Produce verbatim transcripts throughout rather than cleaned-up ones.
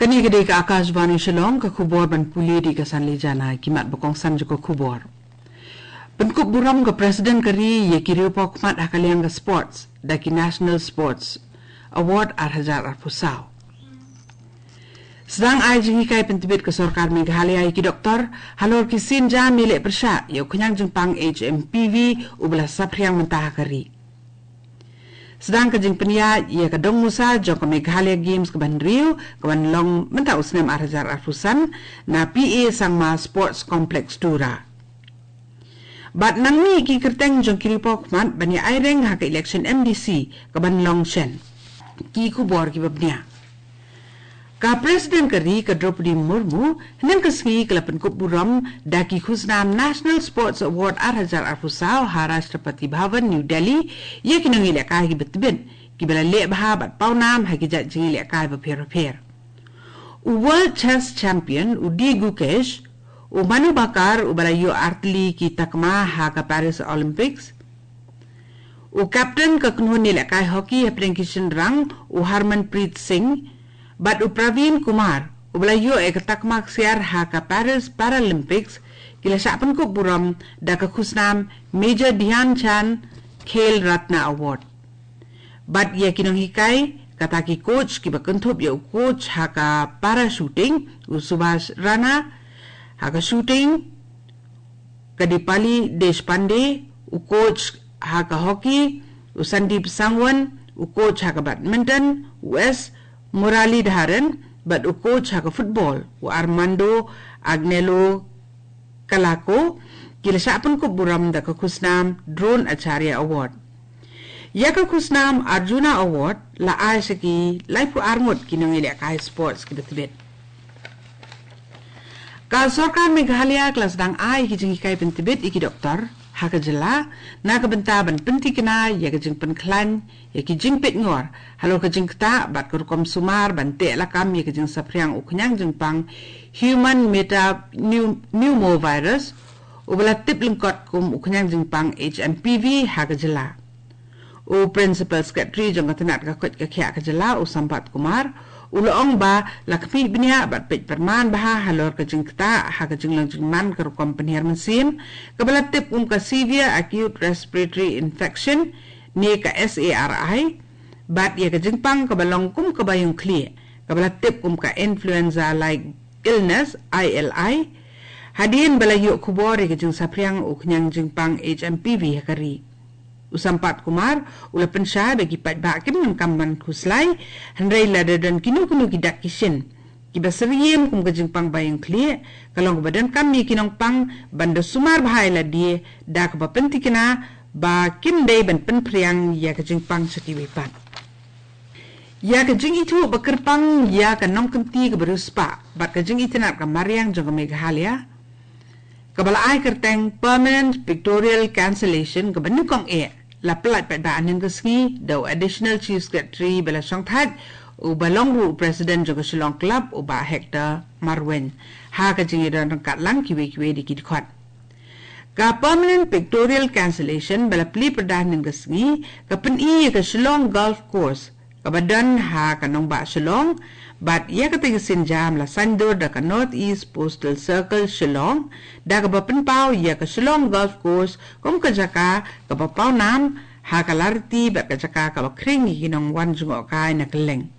Kane ka dei ka Akashvani Shillong, ka khubor ban pule da ka Sanli Jana. Ki mat ba kongsan jong ka khubor. Pynkup burom ka President ka ri ïa ki riewpawkhmat ha ka liang ka sports da ki National Sports Award ar hajar arphew saw. Sdang ai jinghikai pyntbit ka sorkar Meghalaya ïa ki doktor halor ki sienjam ïaleh pyrshah ïa u khñiang jingpang H M P V uba la saphriang mynta ha ka ri. Sdang ka jingpynïaid ïa ka dongmusa jong ka Meghalaya Games kaba hynriew, kaban long mynta u snem ar hajar arphew san na P A Sangma Sports Complex, Tura. Bad nang mih ki kyrteng jong ki riewpawkhmat ban ïa aireng ha ka election M D C kaban long shen. Ki khubor kiba bniah. Ka President ka ri ka Droupadi Murmu hynne ka sngi ka la pynkup burom da ki khusnam National Sports Award ar hajar arphew saw ha Rashtrapati Bhavan, New Delhi, ïa ki nongïalehkai kiba tbit kiba la leh bha bad pawnam ha ki jait jingïalehkai bapher bapher. U World Chess Champion u D Gukesh, u Manu Bhaker uba la ïoh artylli ki takma ha ka Paris Olympics, u captain ka kynhun ïalehkai hockey hapdeng ki shynrang u Harmanpreet Singh, bad u Praveen Kumar uba la ïoh ïa ka takma ksiar ha ka Paris Paralympics, ki la shah pynkup burom da ka khusnam Major Dhyan Chand Khel Ratna Award. Bad ïa ki nonghikai, kata ki coach kiba kynthup ïa u coach ha ka para shooting u Subhash Rana, ha ka shooting ka Dipali Deshpande, u coach ha ka hockey u Sandeep Sangwan, u coach ha ka badminton u S Muralidharan, bad u coach ha ka football u Armando Agnello Kalako, ki la shah pynkup burom da ka khusnam Dronacharya Award. Ïa ka khusnam Arjuna Award la ai sha ki laiphew ar ngut ki nongïalehkai sports kiba tbit. Ka sorkar Meghalaya ka la sdang ai ki jinghikai pyntbit ïa ki doktor ha ka jylla na ka bynta ban pyntikna ïa ka jingpynkhlaiñ ïa ki jingpeit ngor halor ka jingktah bad ka rukom sumar ban teh lakam ïa ka jingsaphriang u khñiang jingpang human metapneumovirus uba la tip lyngkot kum u khñiang jingpang H M P V ha ka jylla. U Principal Secretary jong ka tnat ka koit ka khiah ka jylla u Sampath Kumar u la ong ba la khmih bniah bad peit pyrman bha halor ka jingktah ha ka jinglong jingman ka rukom pynhiar mynsiem kaba la tip kum ka severe acute respiratory infection ne ka S A R I, bad ïa ka jingpang kaba long kum kaba ïong khlieh kaba la tip kum ka influenza like illness, I L I, hadien ba la ïoh khubor ïa ka jingsaphriang u khñiang jingpang H M P V ha ka ri. U Sampath Kumar u la pynshai ba ki paidbah kim donkam ban khuslai, hynrei lada don kino kino ki dak ki shin kiba syriem kum ka jingpang ba ïong khlieh, ka long kaba donkam ïa ki nongpang ban da sumar bha ïa lade da kaba pyntikna ba kim dei ban pynphriang ïa ka jingpang sha kiwei pat. Ïa ka jingithuh ba kyrpang ïa ka nongkynti kaba riewspah bad ka jingitynnad ka mariang jong ka Meghalaya, kaba la ai kyrteng Permanent Pictorial Cancellation kaba nyngkong eh, la pyllait paidbah hynne ka sngi da u Additional Chief Secretary ba la shongthait uba long ruh u President jong ka Shillong Club u Bah Hector Marwein ha ka jingïadon ryngkat lang kiwei kiwei de ki dkhot. Ka Permanent Pictorial Cancellation ba la plie pyrda hynne ka sngi ka pyni ïa ka Shillong Golf Course kaba don ha ka nongbah Shillong, bad ïa kata ka sienjam la saiñdur da ka North East Postal Circle Shillong da kaba pynpaw ïa ka Shillong Golf Course kum ka jaka kaba pawnam ha ka lariti bad ka jaka kaba khring ïa ki nongwan jngohkai na kylleng.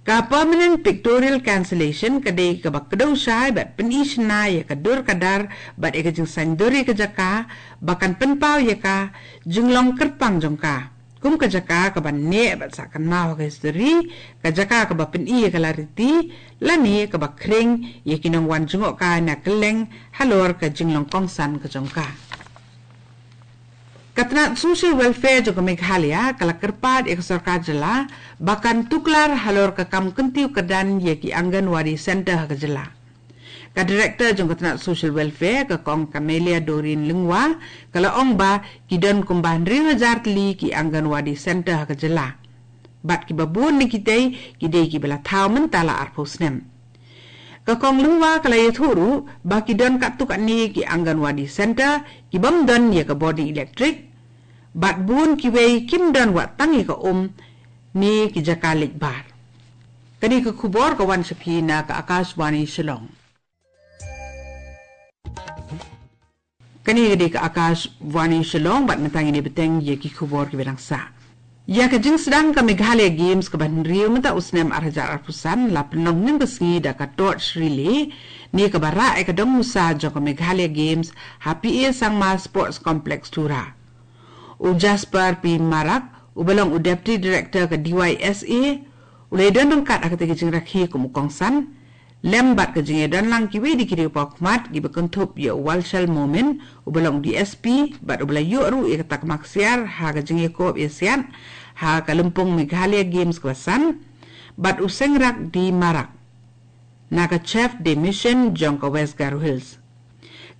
Ka Permanent Pictorial Cancellation ka dei kaba kdew shai bad pyni shynna ïa ka dur ka dar bad ïa ka jingsaiñdur ïa ka jaka ba kan pynpaw ïa ka jinglong kyrpang jong ka kum ka jaka kaba neh bad sah kynmaw ha ka histori, ka jaka kaba pyni ïa ka lariti lane kaba khring ïa ki nongwan jngohkai na kylleng halor ka jinglong kongsan ka jong ka. Ka tnat Social Welfare jong ka Meghalaya ka la kyrpad ïa ka sorkar jylla ba kan tuklar halor ka kam kyntiew kyrdan ïa ki Anganwadi Centre ha ka jylla. Ka Director jong ka tnat Social Welfare, ka Kong Camelia Doreen Lyngwa, ka la ong ba ki don kumba hynriew hajar tylli ki Anganwadi Centre ha ka jylla, bad kiba bun na kitei ki dei kiba la thaw mynta la arphew snem. Ka Kong Lyngwa ka la ïathuh ruh ba ki don katto katne ki Anganwadi Centre ki bym don ïa ka bording electric, bad bun kiwei kim don wat tang ïa ka um ne ki jaka leit bar. Kane ka khubor ka wan sha phi na ka Akashvani Shillong. Kane ka dei ka Akashvani Shillong bad mynta ngin ïa bteng ïa ki khubor kiba dang sah. Ïa ka jingsdang ka Meghalaya Games kaba hynriew mynta u snem ar hajar arphew san la pynlong hynnin ka sngi da ka torch relay ne kaba rah ïa ka dong musa jong ka Meghalaya Games ha P A Sangma Sports Complex Tura. U Jasper P Marak, uba long u Deputy Director ka D Y S A, u la ïadon ryngkat ha katei ka jingrakhe kum u kongsan, lem bad ka jingïadon lang kiwei de ki riewpawkhmat kiba kynthup ïa u Walshal Momin, uba long D S P, bad uba la ïoh ruh ïa kata ka maksiar ha ka jingïakob ïasiat ha ka lympung Meghalaya Games kaba san, bad u Sengrak D Marak, na ka Chef de Mission jong ka West Garo Hills.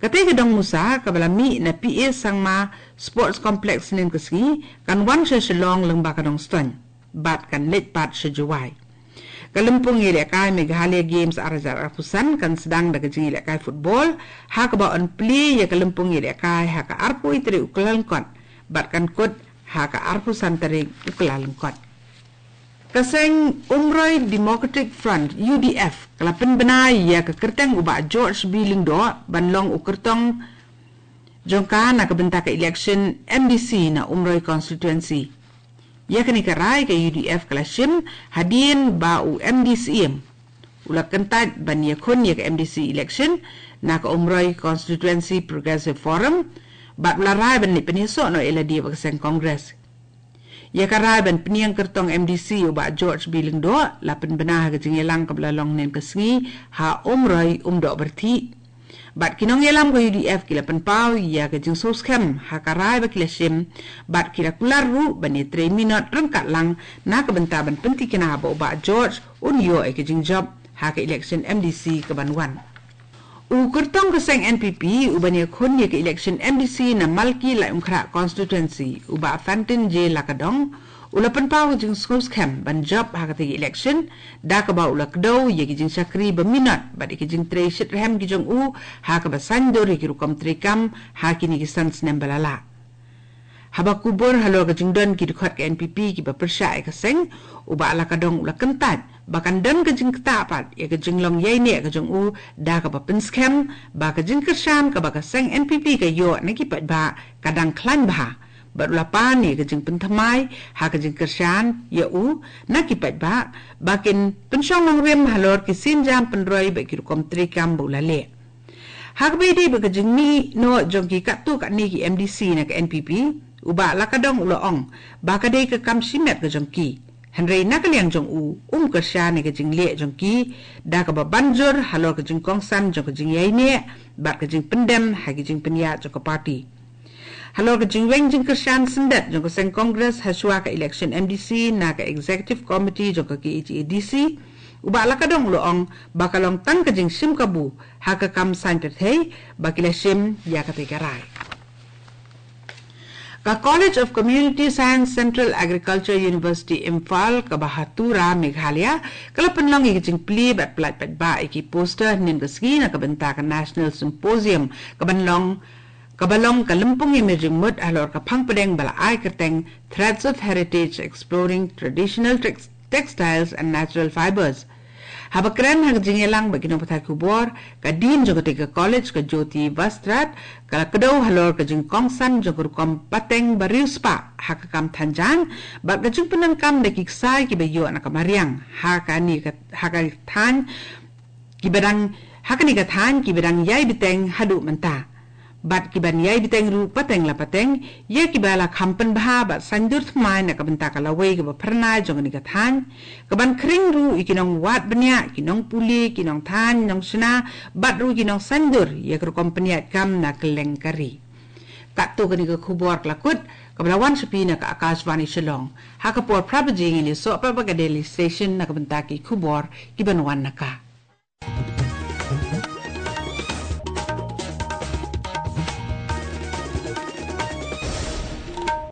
Katei ka dong musa kaba la mih na P A Sangma Sports Complex hynnin ka sngi kan wan sha Shillong lyngba ka Nongstoiñ bad kan leit pat sha Jowai. Ka lympung ïalehkai Meghalaya Games ar hajar arphew san kan sdang da ka jingïalehkai football, ha kaba yn plie ïa ka lympung ïalehkai ha ka arphew wei tarik u Kyllalyngkot bad kan kut ha ka arphew san tarik u Kyllalyngkot. Ka seng Umroi Democratic Front, U D F, ka la pynbna ïa ka kyrteng u Bah George B Lyngdoh ban long u kyrtong jong ka na ka bynta ka election M D C na Umroi Constituency. Ïa kane ka rai ka U D F ka la shim hadien ba u M D C Syiem u la kyntait ban ïakhun ïa ka M D C election na ka Umroi Constituency Progressive Forum, bad u la rai ban leit pynïasoh noh ïalade bad ka seng Congress. Ïa ka rai ban pynïeng kyrtong M D C u Bah George B Lyngdoh la pynbna ha ka jingïalang kaba la long hynnin ka sngi ha Umroi Umdoh Pyrthei. Bad ki nongïalam ka U D F ki la pynpaw ïa ka jingsngewskhem ha ka rai ba ki la shim, bad ki la kular ruh ban ïatrei minot ryngkat lang na ka bynta ban pyntikna ba u Bah George un ïoh ïa ka jingjop ha ka election M D C kaban wan. U kyrtong ka seng N P P uban ïakhun ïa ka election M D C na Malki Laitumkhrah Constituency, u Bah Fantin J Lakadong, u la pynpaw ka jingsngewskhem ban jop ha katei ka election da kaba u la kdew ïa ki jingshakri ba minot bad ïa ki jingtrei shitrhem ki jong u ha kaba saiñdur ïa ki rukom treikam ha kine ki san snem ba la leit. Haba kubur halor ka jingdon ki dkhot ka N P P kiba pyrshah ïa ka seng, u Bah Lakadong u la kyntait ba kan don ka jingktah pat ïa ka jinglong ïaineh ka jong u da kaba pynskhem ba ka jingkyrshan kaba ka seng N P P ka ïoh na ki paidbah ka dang khlaiñ bha, bad u la pan ïa ka jingpynthymmai ha ka jingkyrshan ïa u na ki paidbah ba kin pynshong nongrim halor ki sienjam pynroi bad ki rukom treikam ba u la leh. Ha kaba ïadei bad ka jingmih noh jong ki katto katne ki M D C na ka N P P, u Bah Lakadong u la ong ba ka dei ka kam shimet ka jong ki. Hynrei na ka liang jong u, um kyrshan ïa ka jingleh jong ki da kaba ban jur halor ka jingkongsan jong ka jingïaineh bad ka jingpyndem ha ki jingpynïaid jong ka party. Halor ka jingweng jingkyrshan syndet jong ka seng Congress hashwa ka election M D C na ka Executive Committee jong ka K H A D C, u Bah Lakadong u la ong ba ka long tang ka jingshim kabu ha ka kam saiñ pyrthei ba ki la shim ïa katei ka rai. Ka College of Community Science, Central Agriculture University Imphal kaba ha Tura, Meghalaya, ka la pynlong ïa ka jingplie bad pyllait paidbah ïa ki poster hynnin ka sngi na ka bynta ka National Symposium kaban long, kaba long ka lympung ïamir jingmut halor ka phang pdeng ba la ai kyrteng Threads of Heritage: Exploring Traditional Tex-, Textiles and Natural Fibers. Haba kren ha ka jingïalang bad ki nongpathai khubor, ka Dean jong katei ka college, ka Jyoti Vastrat, ka la kdew halor ka jingkongsan jong ka rukom pateng ba riewspah ha ka kam thanjan bad ka jingpyndonkam da ki ksai kiba ïoh na ka mariang ha kane ka, ha ka thaiñ kiba dang, ha kane ka thaiñ kiba dang ïai bteng haduh mynta bad kiban ïai bteng ruh pateng la pateng, ïa kiba la kham pynbha bad saiñdur thymmai na ka bynta ka lawei kaba phyrnai jong kane ka thaiñ, kaban khring ruh ïa ki nongwad bniah, ki nongpule, ki nongthaiñ nongshna, bad ruh ki nongsaiñdur ïa ka rukom pynïaid kam na kylleng ka ri. Katto kane ka khubor ka la kut, kaba la wan sha phi na ka Akashvani Shillong. Ha ka por phra baje ngin ïasoh pat bad ka Delhi Station na ka bynta ki khubor kiban wan na ka.